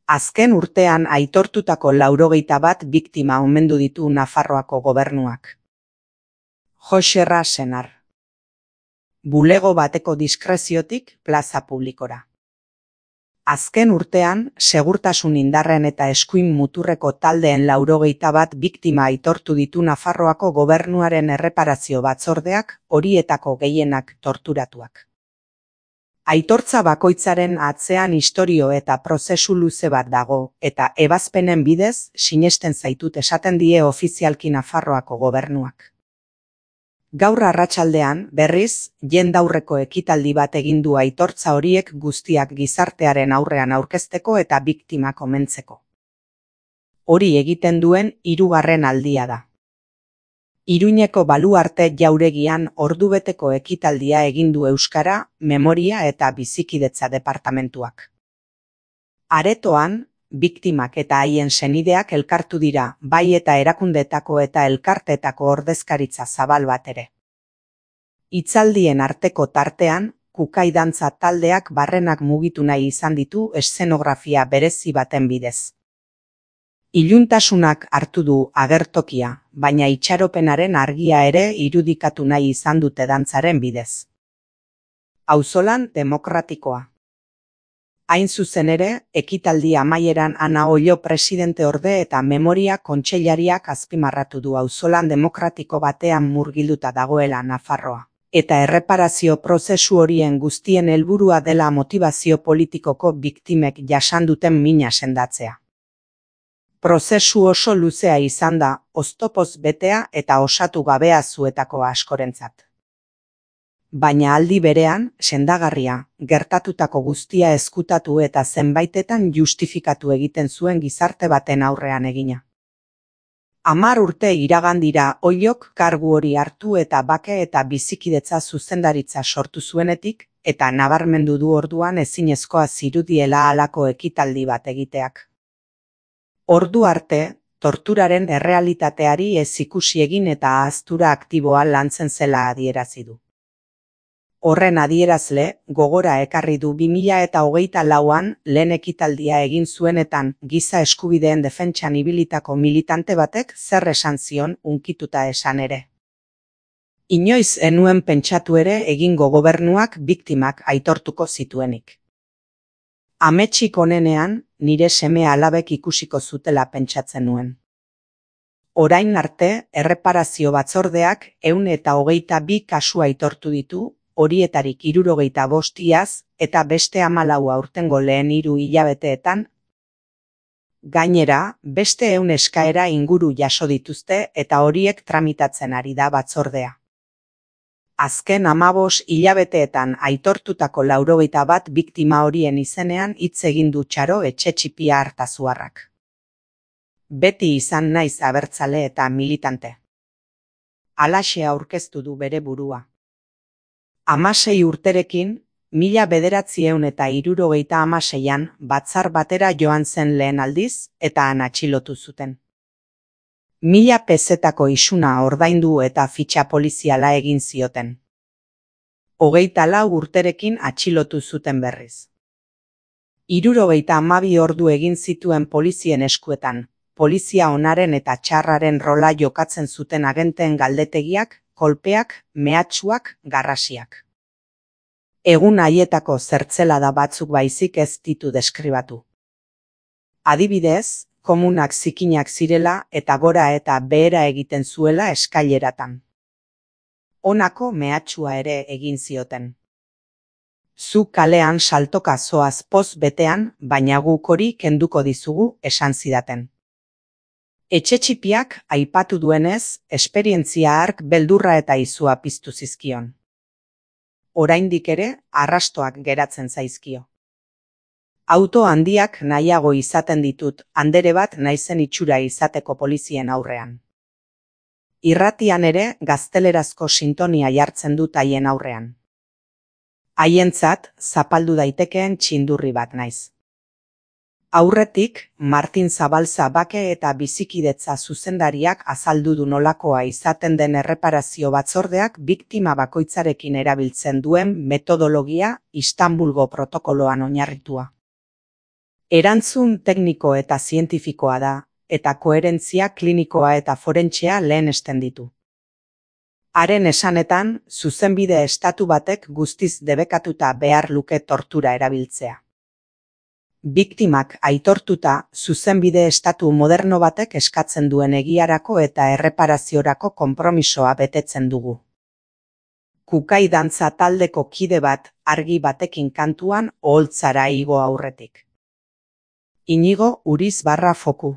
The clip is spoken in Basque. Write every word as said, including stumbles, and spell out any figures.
Azken urtean aitortutako laurogeita bat biktima omendu ditu Nafarroako gobernuak. Joxerra Senar. Bulego bateko diskreziotik plaza publikora. Azken urtean, segurtasun indarren eta eskuin muturreko taldeen laurogeita bat biktima aitortu ditu Nafarroako gobernuaren erreparazio batzordeak, horietako gehienak torturatuak. Aitortza bakoitzaren atzean istorio eta prozesu luze bat dago, eta ebazpenen bidez, sinesten zaitut esaten die ofizialki Nafarroako gobernuak. Gaur arratsaldean, berriz, jendaurreko ekitaldi bat egin du aitortza horiek guztiak gizartearen aurrean aurkezteko eta biktimak omentzeko. Hori egiten duen hirugarren aldia da. Iruñeko Baluarte jauregian ordubeteko ekitaldia egin du euskara, memoria eta bizikidetza departamentuak. Aretoan, biktimak eta haien senideak elkartu dira, bai eta erakundeetako eta elkarteetako ordezkaritza zabal bat ere. Hitzaldien arteko tartean, kukai dantza taldeak barrenak mugitu nahi izan ditu eszenografia berezi baten bidez. Iluntasunak hartu du agertokia, baina itxaropenaren argia ere irudikatu nahi izan dute dantzaren bidez. Auzolan demokratikoa. Hain zuzen ere, ekitaldi amaieran Ana Ollo presidenteorde eta memoria kontseilariak azpimarratu du auzolan demokratiko batean murgilduta dagoela Nafarroa, eta erreparazio prozesu horien guztien helburua dela motivazio politikoko biktimek jasan duten mina sendatzea. Prozesu oso luzea izan da, oztopoz betea eta osatu gabea zuetako askorentzat. Baina aldi berean, sendagarria, gertatutako guztia ezkutatu eta zenbaitetan justifikatu egiten zuen gizarte baten aurrean egina. Hamar urte iragan dira Ollok kargu hori hartu eta bake eta bizikidetza zuzendaritza sortu zuenetik, eta nabarmendu du orduan ezinezkoa zirudiela halako ekitaldi bat egiteak. Ordu arte, torturaren errealitateari ez ikusi egin eta ahaztura aktiboa lantzen zela adierazi du. Horren adierazle, gogora ekarri du bi mila eta hogeita lauan lehen ekitaldia egin zuenetan giza eskubideen defentsan ibilitako militante batek zer esan zion hunkituta esan ere. Inoiz enuen pentsatu ere egingo gobernuak biktimak aitortuko zituenik. Ametsik onenean, nire seme alabek ikusiko zutela pentsatzen nuen. Orain arte, erreparazio batzordeak ehun eta hogeita bi kasu aitortu ditu, horietarik hirurogeita bost iaz eta beste hamalau aurtengo lehen hiru hilabeteetan. Gainera, beste ehun eskaera inguru jaso dituzte eta horiek tramitatzen ari da batzordea. Azken hamabos hilabeteetan aitortutako laurogeita bat biktima horien izenean hitz egin du Txaro Etxetxipia Artazuarrak. Beti izan naiz abertzale eta militante. Halaxe aurkeztu du bere burua. Hamasei urterekin, mila bederatziehun eta hirurogeita hamaseian batzar batera joan zen lehen aldiz eta han atxilotu zuten. Mila pezetako isuna ordaindu eta fitxa poliziala egin zioten. Hogeita lau urterekin atxilotu zuten berriz. Hirurogeita hamabi ordu egin zituen polizien eskuetan, polizia onaren eta txarraren rola jokatzen zuten agenteen galdetegiak, kolpeak, mehatxuak, garrasiak. Egun haietako zertzelada batzuk baizik ez ditu deskribatu. Adibidez, komunak zikinak zirela eta gora eta behera egiten zuela eskaileratan. Honako mehatxua ere egin zioten. Zu kalean saltoka zoaz poz betean, baina guk hori kenduko dizugu esan zidaten. Etxetxipiak aipatu duenez, esperientzia hark beldurra eta izua piztu zizkion. Oraindik ere, arrastoak geratzen zaizkio. Auto handiak nahiago izaten ditut, andere bat naizen itxura izateko polizien aurrean. Irratian ere, gaztelerazko sintonia jartzen dut haien aurrean. Haientzat, zapaldu daitekeen txindurri bat naiz. Aurretik, Martin Zabalza bake eta bizikidetza zuzendariak azaldu du nolakoa izaten den erreparazio batzordeak biktima bakoitzarekin erabiltzen duen metodologia Istanbulgo protokoloan oinarritua. Erantzun tekniko eta zientifikoa da, eta koherentzia klinikoa eta forentsea lehenesten ditu. Haren esanetan, zuzenbide estatu batek guztiz debekatuta behar luke tortura erabiltzea. Biktimak aitortuta, zuzenbide estatu moderno batek eskatzen duen egiarako eta erreparaziorako konpromisoa betetzen dugu. Kukai dantza taldeko kide bat argi batekin kantuan oholtzara igo aurretik. Inigo Uriz barra foku.